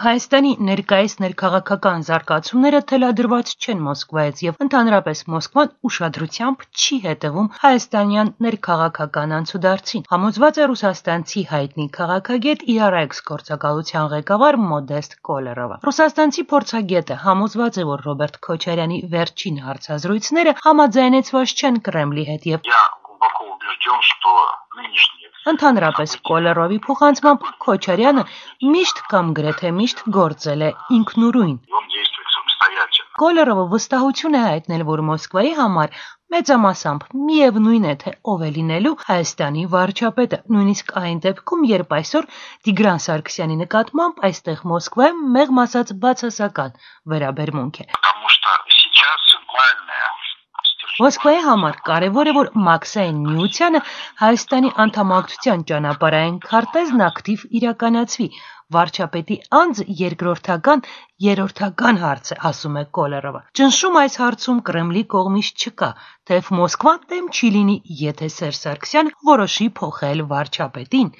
Հայաստանի ներկայիս ներքաղաքական զարգացումները թելադրված չեն Մոսկվայից եւ ընդհանրապես Մոսկվան ուշադրությամբ չի հետևում հայաստանյան ներքաղաքական անցուդարձին։ Համոզված է ռուսաստանցի հայտնի քաղաքագետ IRX գործակալության ղեկավար Մոդեստ Կոլերովը։ Ռուսաստանցի փորձագետը համոզված է, որ Ռոբերտ Քոչարյանի վերջին հարցազրույցները համաձայնեցված չեն Կրեմլի հետ եւ Ընդհանրապես Կոլերովի փոխանցմամբ Քոչարյանը միշտ կամ գրեթե միշտ գործել է ինքնուրույն։ Կոլերովը վստահություն է հայտնել, որ Մոսկվայի համար մեծամասամբ միևնույն է, թե ով է լինելու Հայաստանի վարչապետը, նույնիսկ այն դեպքում, երբ այսօր Տիգրան Սարգսյանի նկատմամբ այստեղ Մոսկվայում մեղմ ասած բացասական վերաբերմունք է։ Մոսկվայի համար կարևոր է, որ Մաքսային միությանը Հայաստանի անդամակցության ճանապարհային քարտեզն ակտիվ իրականացվի։ Վարչապետի անձը երկրորդական, երրորդական հարց է, ասում է Կոլերովը։ Ճնշում այս հարցում Կրեմլի կողմից չկա, թեև Մոսկվան դեմ չի լինի, եթե Սերժ Սարգսյանը որոշի փոխել վարչապետին։